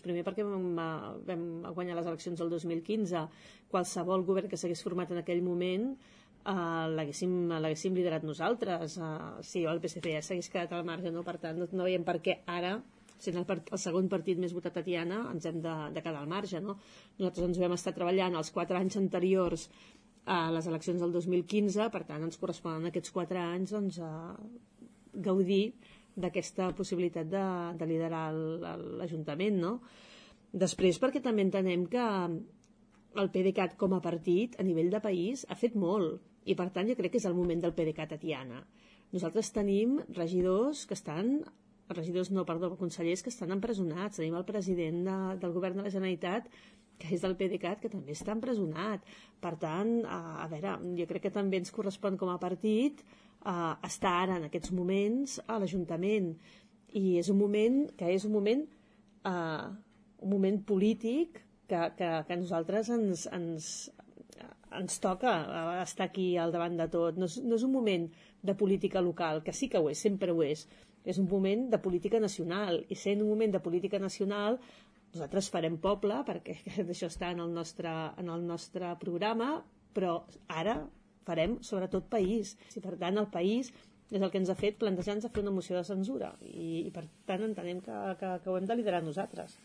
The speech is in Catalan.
Primer perquè vam guanyar les eleccions del 2015. Qualsevol govern que s'hagués format en aquell moment l'haguéssim liderat nosaltres. Si el PSC ja s'hagués quedat al marge, no? Per tant, no veiem per què ara, sent el segon partit més votat a Tiana, ens hem de quedar al marge, no? Nosaltres ens vam estar treballant els 4 anys anteriors a les eleccions del 2015, per tant ens corresponen aquests 4 anys gaudir d'aquesta possibilitat de liderar l'Ajuntament, no? Després perquè també entenem que el PDeCAT com a partit a nivell de país ha fet molt, i per tant jo crec que és el moment del PDeCAT a Tiana. Nosaltres tenim consellers que estan empresonats, tenim el president del govern de la Generalitat que és del PDeCAT, que també està empresonat. Per tant, a veure, jo crec que també ens correspon com a partit estar ara, en aquests moments, a l'Ajuntament. I és un moment polític que a nosaltres ens toca estar aquí al davant de tot. No és un moment de política local, que sí que ho és, sempre ho és. És un moment de política nacional, i sent un moment de política nacional nosaltres farem poble, perquè això està en el nostre programa, però ara farem sobretot país. I per tant el país és el que ens ha fet plantejar-nos a fer una moció de censura, i per tant entenem que ho hem de liderar nosaltres.